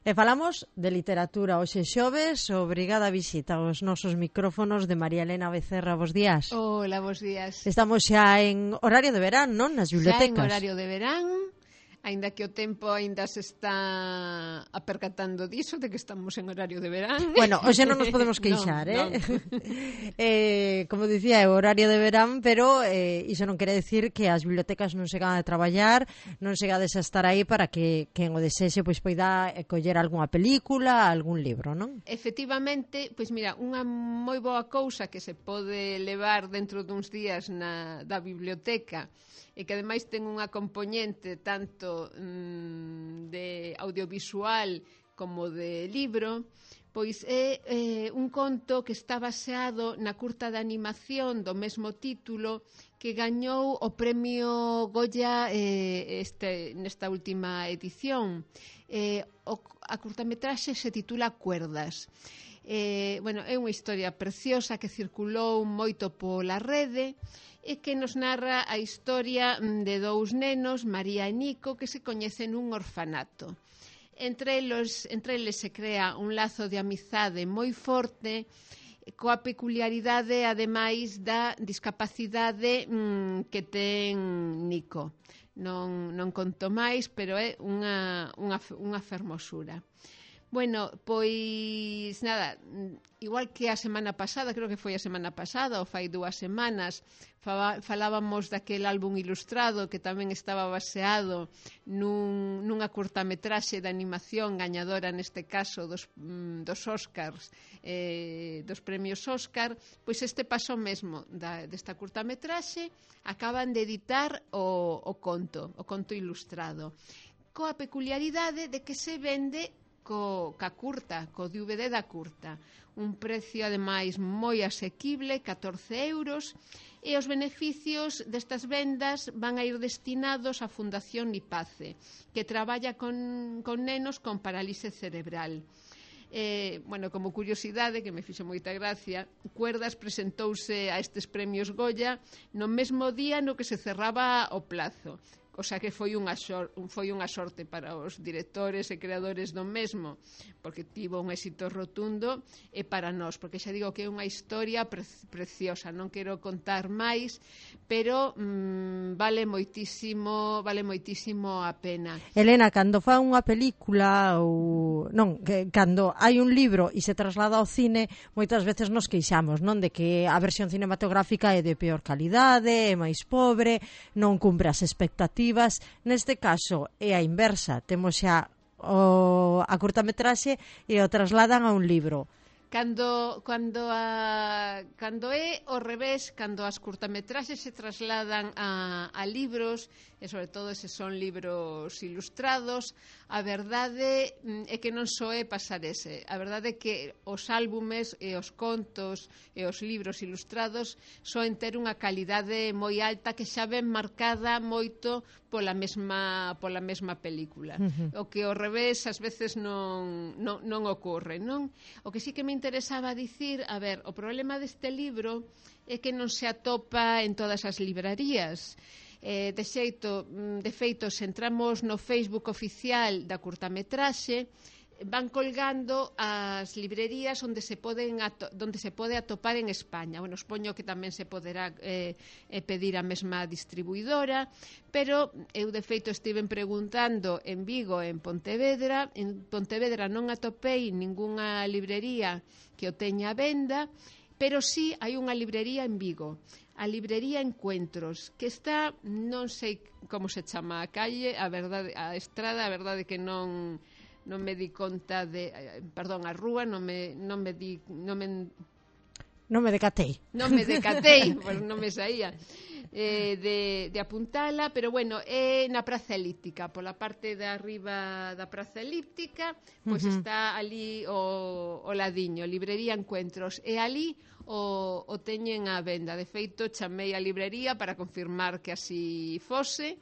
E falamos de literatura hoxe xoves, obrigada a visita aos nosos micrófonos de María Elena Becerra. Bos días. Hola, bos días. Estamos xa en horario de verán, non? Nas bibliotecas. Xa en horario de verán, aínda que o tempo aínda se está apercatando diso, de que estamos en horario de verán. Bueno, hoxe non nos podemos queixar, non. Como dicía, é horario de verán, pero iso non quere decir que as bibliotecas non se gadan de traballar, non se gades a estar aí para que quen o desexe pois poida coller algunha película, algún libro, non? Efectivamente, pois mira, unha moi boa cousa que se pode levar dentro duns días da biblioteca e que ademais ten unha componente tanto de audiovisual como de libro, pois é un conto que está baseado na curta de animación do mesmo título que gañou o premio Goya nesta última edición. A curtametraxe se titula Cuerdas. É unha historia preciosa que circulou moito pola rede e que nos narra a historia de dous nenos, María e Nico, que se coñecen nun orfanato. Entre eles se crea un lazo de amizade moi forte, coa peculiaridade, ademais, da discapacidade que ten Nico. Non conto máis, pero é unha fermosura. Bueno, pois nada, igual que a semana pasada, creo que foi a semana pasada ou fai 2 semanas, falábamos daquel álbum ilustrado que tamén estaba baseado nunha curtametraxe de animación gañadora, neste caso dos Oscars, dos premios Oscar. Pois este paso mesmo desta curtametraxe, acaban de editar o conto ilustrado, coa peculiaridade de que se vende ca curta, co DVD da curta, un precio ademais moi asequible, 14 €, e os beneficios destas vendas van a ir destinados á Fundación Nipace, que traballa con nenos con parálise cerebral. Como curiosidade, que me fixo moita gracia, Cuerdas presentouse a estes premios Goya no mesmo día no que se cerraba o plazo. O sea que foi unha sorte para os directores e creadores do mesmo, porque tivo un éxito rotundo, e para nós, porque xa digo que é unha historia preciosa. Non quero contar máis, pero vale moitísimo a pena. Elena, cando fa unha película cando hai un libro e se traslada ao cine, moitas veces nos queixamos, non, de que a versión cinematográfica é de peor calidade, é máis pobre, non cumpre as expectativas. Neste caso é a inversa, temos xa a curtametraxe e o trasladan a un libro. Cando é ao revés, cando as curtametraxes se trasladan a libros, e sobre todo se son libros ilustrados, a verdade é que non só é pasar ese. A verdade é que os álbumes e os contos e os libros ilustrados soen ter unha calidade moi alta que xa ven marcada moito pola mesma película. O que ao revés ás veces non ocorre, non? O que sí que me interesaba dicir, o problema deste libro é que non se atopa en todas as librarías. De feito, se entramos no Facebook oficial da curtametraxe, van colgando as librerías onde se pode atopar en España. Supoño que tamén se poderá pedir a mesma distribuidora, pero eu de feito estiven preguntando en Vigo e en Pontevedra. En Pontevedra non atopei ningunha librería que o teña a venda, pero sí hai unha librería en Vigo, a librería Encuentros, que está, non sei como se chama a calle, a estrada, a verdade que non me di conta a rúa, non me decatei. Non me saía de apuntala, pero é na Praza Elíptica, pola parte de arriba da Praza Elíptica, pois está ali o ladiño, librería Encuentros, e ali o teñen á venda. De feito, chamei a librería para confirmar que así fose,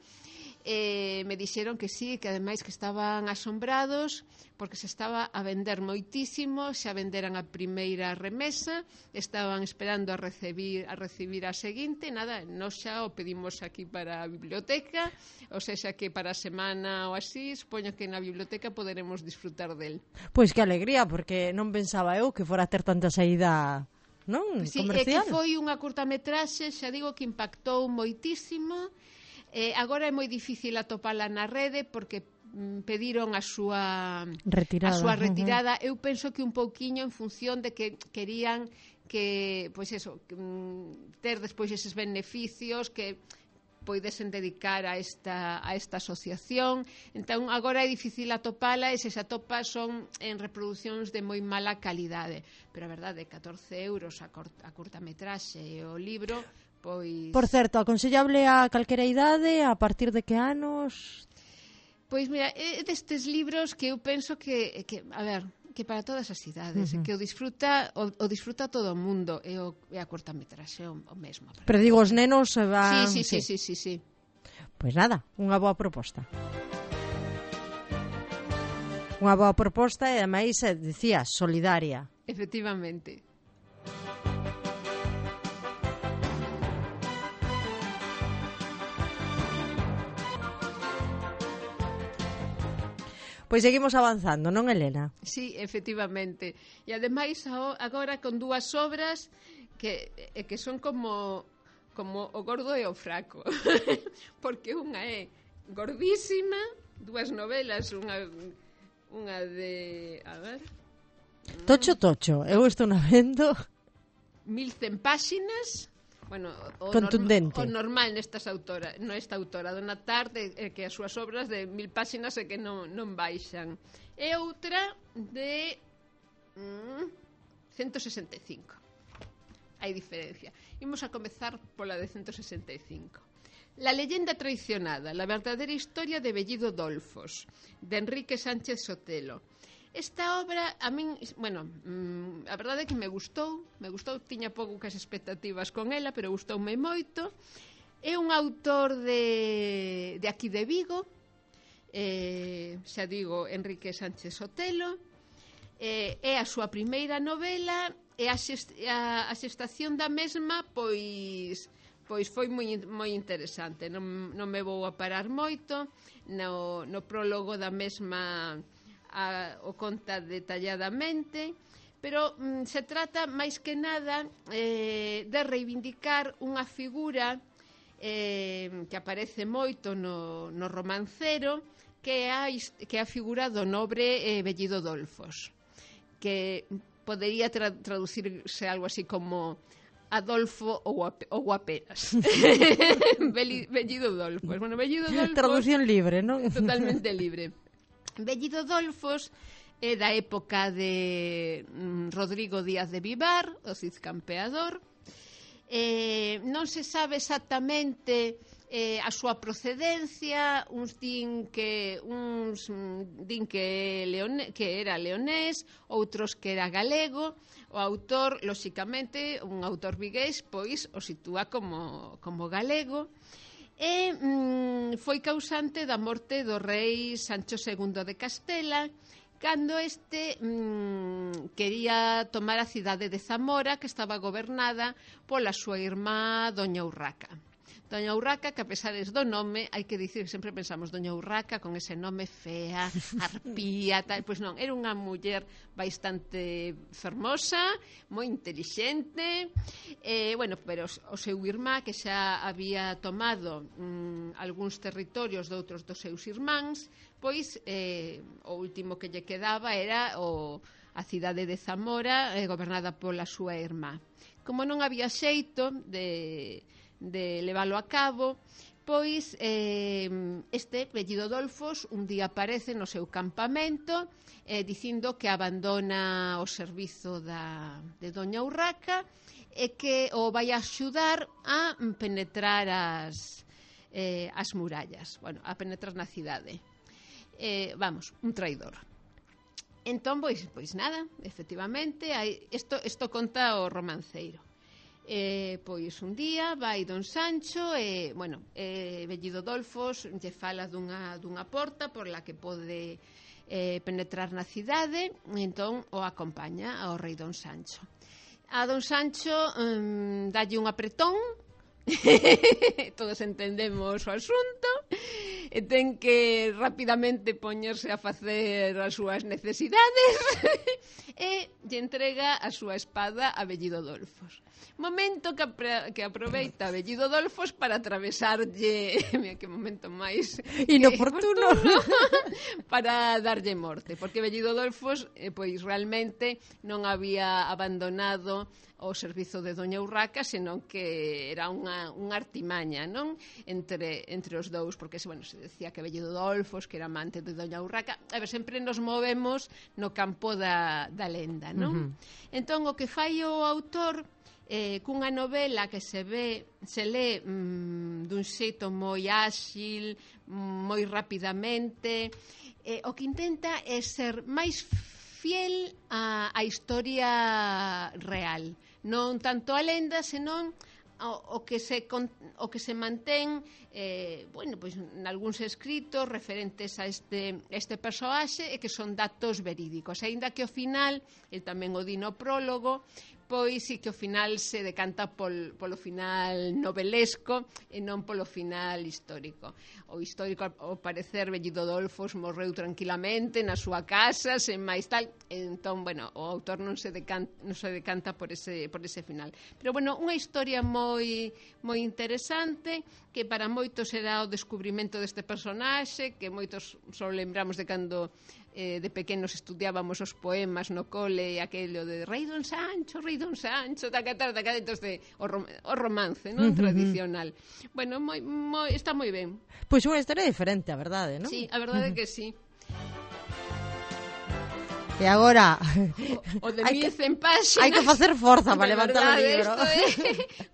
me dixeron que sí, que ademais que estaban asombrados porque se estaba a vender moitísimo, xa venderan a primeira remesa, estaban esperando a recibir a seguinte, nada, nós xa o pedimos aquí para a biblioteca, ou seja que para a semana ou así, supoño que na biblioteca poderemos disfrutar del. Pois que alegría, porque non pensaba eu que fora a ter tanta saída, non? Sí, Comercial. que foi unha curtametraxe, xa digo que impactou moitísimo. Agora é moi difícil atopala na rede porque pediron a súa retirada. Eu penso que un pouquiño en función de que querían que, pois eso, ter despois eses beneficios que poidesen dedicar a esta asociación. Entón, agora é difícil atopala e se se atopa son en reproduccións de moi mala calidade. Pero a verdade, 14 euros a curtametraxe e o libro, pois... Por certo, aconsellable a calquera idade, a partir de que anos? Pois mira, é destes libros que eu penso que a ver, que para todas as idades, que o disfruta todo o mundo, e a curtametraxe o mesmo. Pero digo, os nenos se van... Sí. Pois nada, unha boa proposta. Unha boa proposta e, ademais, decía, solidaria. Efectivamente. Pois seguimos avanzando, non, Elena? Sí, efectivamente. E ademais agora con dúas obras que son como o gordo e o fraco. Porque unha é gordísima, dúas novelas, unha de... A ver... Tocho. Eu estou na vendo... 1100 páxinas... Bueno, contundente. O normal nesta autora, Dona Tarde, que as súas obras de 1000 páxinas é que non baixan. E outra de 165. Hai diferencia. Imos a comezar pola de 165. La leyenda traicionada, la verdadera historia de Bellido Dolfos, de Enrique Sánchez Sotelo. Esta obra, a min, bueno, a verdade é que me gustou, tiña poucas expectativas con ela, pero gustoume moito. É un autor de aquí de Vigo, xa digo, Enrique Sánchez Sotelo, é a súa primeira novela, e a xestación da mesma, pois foi moi interesante. Non me vou a parar moito, no prólogo da mesma... o conta detalladamente, pero se trata máis que nada de reivindicar unha figura que aparece moito no romancero, que é a figura do nobre Bellido Dolfos, que podería traducirse algo así como Adolfo ou apenas. Bellido Dolfos. Bueno, Bellido Dolfos... Traducción libre, non? Totalmente libre. Bellido Dolfos é da época de Rodrigo Díaz de Vivar, o Cid Campeador. Non se sabe exactamente a súa procedencia, uns din que era leonés, outros que era galego. O autor, lóxicamente, un autor vigués, pois o sitúa como galego. E foi causante da morte do rei Sancho II de Castela, cando este quería tomar a cidade de Zamora, que estaba gobernada pola súa irmá Doña Urraca. Doña Urraca, que a pesares do nome, hai que dicir que sempre pensamos Doña Urraca con ese nome fea, arpía, tal, pois non, era unha muller bastante fermosa, moi intelixente, bueno, pero o seu irmá, que xa había tomado algúns territorios de outros dos seus irmáns, pois o último que lle quedaba era a cidade de Zamora, gobernada pola súa irmá. Como non había xeito de leválo a cabo, pois este Bellido Dolfos un día aparece no seu campamento dicindo que abandona o servizo de Doña Urraca e que o vai axudar a penetrar as murallas, bueno, a penetrar na cidade. Vamos, un traidor. Entón, pois nada, efectivamente, isto conta o romanceiro. Pois un día vai don Sancho e, Vellido Dolfos lle fala dunha porta por la que pode penetrar na cidade, e entón o acompaña ao rei don Sancho. A don Sancho dalle un apretón, todos entendemos o asunto, e ten que rapidamente poñerse a facer as súas necesidades e lle entrega a súa espada a Vellido Dolfos. Momento que aproveita Vellido Dolfos para atravesarlle, mira que momento máis inoportuno, para darlle morte, porque Vellido Dolfos pois realmente non había abandonado o servizo de Doña Urraca, senón que era unha artimaña, non? Entre os dous, porque se decía que Vellido Dolfos, que era amante de Doña Urraca, sempre nos movemos no campo da lenda, non? Entón, o que fai o autor cunha novela que se lé dun xeito moi áxil, moi rapidamente, o que intenta é ser máis fiel á historia real, non tanto a lenda, senón o que se mantén pois nalgúns escritos referentes a este persoaxe e que son datos verídicos, aínda que ao final, el tamén o di no prólogo, pois sí que ao final se decanta polo final novelesco e non polo final histórico. O histórico, ao parecer, Vellido Dolfos morreu tranquilamente na súa casa, sen máis tal, entón, o autor non se decanta por ese final. Pero, unha historia moi interesante, que para moitos será o descubrimento deste personaxe, que moitos só lembramos de cando de pequenos estudiábamos os poemas no cole, aquello de Rei don Sancho, entonces o romance, non? Tradicional. Está moi ben. Pois unha historia diferente, a verdade, non? Sí, a verdade que sí. E agora o de 1100 páxinas. Hai que facer forza para levantar o libro.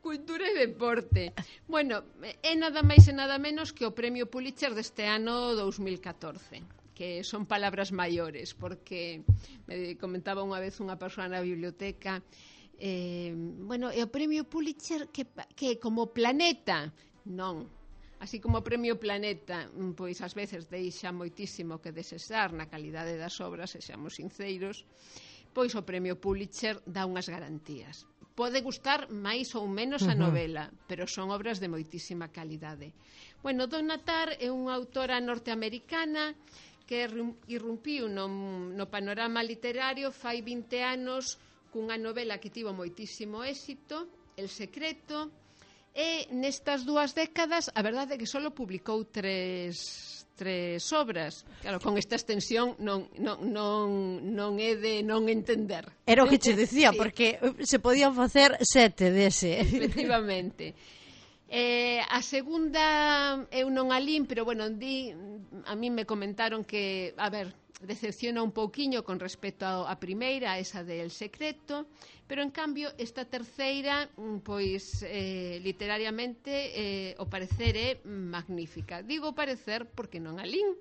Cultura e deporte. É nada máis e nada menos que o premio Pulitzer deste ano 2014. Que son palabras maiores, porque me comentaba unha vez unha persoa na biblioteca, é o premio Pulitzer que como planeta, non. Así como o premio Planeta, pois ás veces deixa moitísimo que desexar na calidade das obras, e seamos sinceros, pois o premio Pulitzer dá unhas garantías. Pode gustar máis ou menos a novela, pero son obras de moitísima calidade. Donna Tartt é unha autora norteamericana que irrumpiu no panorama literario fai 20 anos cunha novela que tivo moitísimo éxito, El secreto, e nestas 2 décadas a verdade é que só publicou 3 obras. Claro, con esta extensión non é de non entender. Era o que che decía, sí. Porque se podían facer 7 dese. Efectivamente. A segunda eu non a lín, pero a mí me comentaron que, decepciona un pouquiño con respecto á primeira, esa del secreto, pero en cambio esta terceira, pois literariamente o parecer é magnífica. Digo parecer porque non a lín,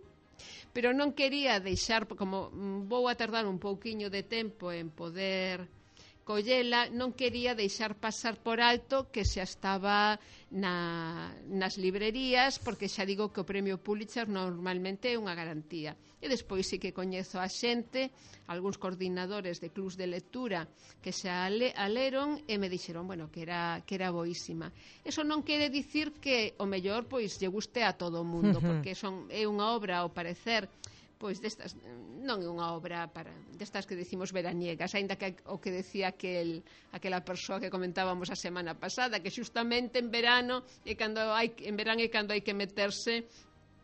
pero non quería deixar, como vou a tardar un pouquiño de tempo en poder collela, non quería deixar pasar por alto que xa estaba nas librerías, porque xa digo que o premio Pulitzer normalmente é unha garantía. E despois sí que coñezo a xente, algúns coordinadores de clubs de lectura que xa a leron e me dixeron, que era boísima. Eso non quere dicir que o mellor pois lle guste a todo o mundo, porque é unha obra, ao parecer, pois destas, non é unha obra destas que decimos veraniegas, aínda que o que decía aquela persoa que comentábamos a semana pasada, que xustamente en verán é cando hai que meterse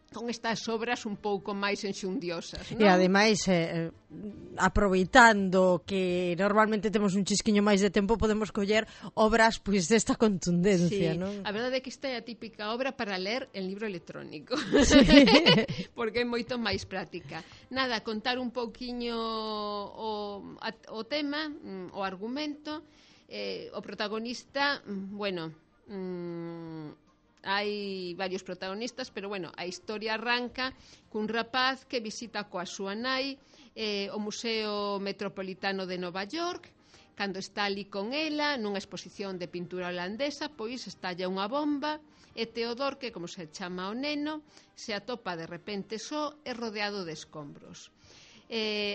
con estas obras un pouco máis enxundiosas, non? E ademais, aproveitando que normalmente temos un chisquiño máis de tempo, podemos coller obras pois desta contundencia, sí. Non? A verdade é que esta é a típica obra para ler en libro electrónico, sí. Porque é moito máis práctica. Nada, contar un pouquiño o tema, o argumento, o protagonista, hai varios protagonistas, pero a historia arranca cun rapaz que visita coa súa nai o Museo Metropolitano de Nova York, Cando está ali con ela, nunha exposición de pintura holandesa, pois estalla unha bomba e Teodor, que como se chama o neno, se atopa de repente só e rodeado de escombros.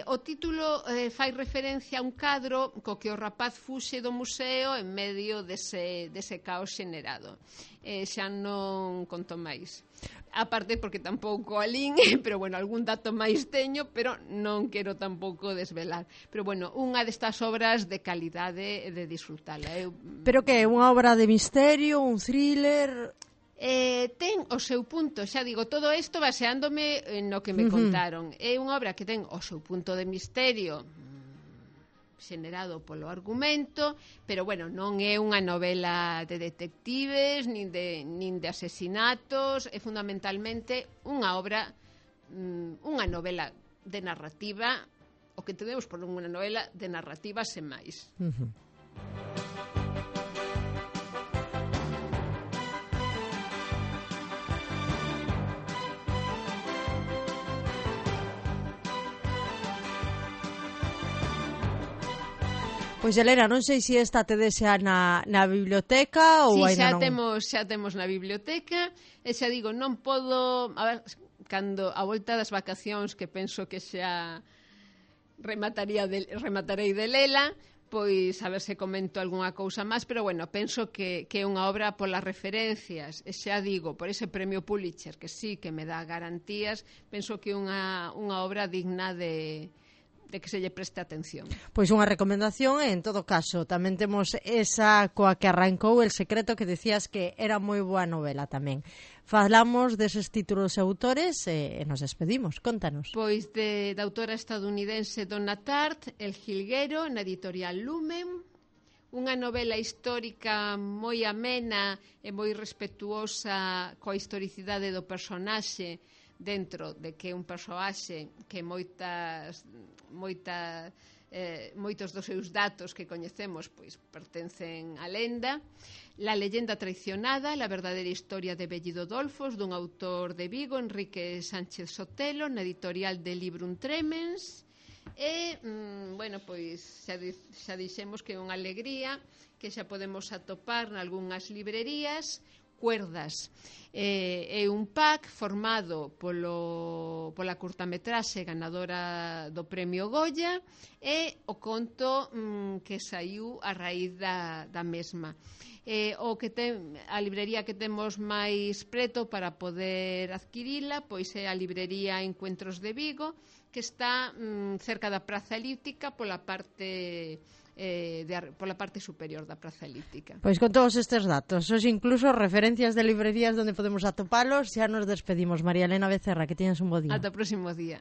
O título fai referencia a un cadro co que o rapaz fuxe do museo en medio dese caos xenerado. Xa non conto máis. A parte porque tampouco alín, pero bueno, algún dato máis teño, pero non quero tampouco desvelar. Pero bueno, unha destas obras de calidade de disfrutala. Pero que é unha obra de misterio, un thriller? Ten o seu punto, xa digo, todo isto baseándome no que me contaron. É unha obra que ten o seu punto de misterio xenerado polo argumento, pero bueno, non é unha novela de detectives nin de asesinatos, é fundamentalmente unha obra, unha novela de narrativa, o que entendemos por unha novela de narrativa sen máis. Pois, Elena, non sei se esta te desea na biblioteca ou aínda non. Xa temos na biblioteca, e xa digo, non podo... A ver, cando a volta das vacacións, que penso que xa rematarei de lela, pois a ver se comento algunha cousa máis, pero bueno, penso que é unha obra polas referencias, e xa digo, por ese premio Pulitzer, que sí que me dá garantías, penso que é unha obra digna de que se lle preste atención. Pois unha recomendación, e en todo caso tamén temos esa coa que arrancou El secreto, que decías que era moi boa novela tamén. Falamos deses títulos e autores e nos despedimos, contanos. Pois da autora estadounidense Donna Tartt, El jilguero, na editorial Lumen, unha novela histórica moi amena e moi respetuosa coa historicidade do personaxe, dentro de que é un persoaxe que moitos dos seus datos que coñecemos pois pertencen á lenda. La leyenda traicionada, la verdadera historia de Bellido Dolfos, dun autor de Vigo, Enrique Sánchez Sotelo, na editorial de Librum Tremens. E, bueno, pois xa dixemos que é unha alegría, que xa podemos atopar nalgúnas librerías. Cuerdas é un pack formado pola curtametraxe ganadora do premio Goya e o conto que saiu a raíz da mesma. A librería que temos máis preto para poder adquirila pois é a librería Encuentros de Vigo, que está cerca da Praza Elíptica pola parte superior da Praza Elíptica. Pois con todos estes datos, hoxe incluso referencias de librerías onde podemos atopalos, xa nos despedimos. María Elena Becerra, que teñas un bo día. Ata o próximo día.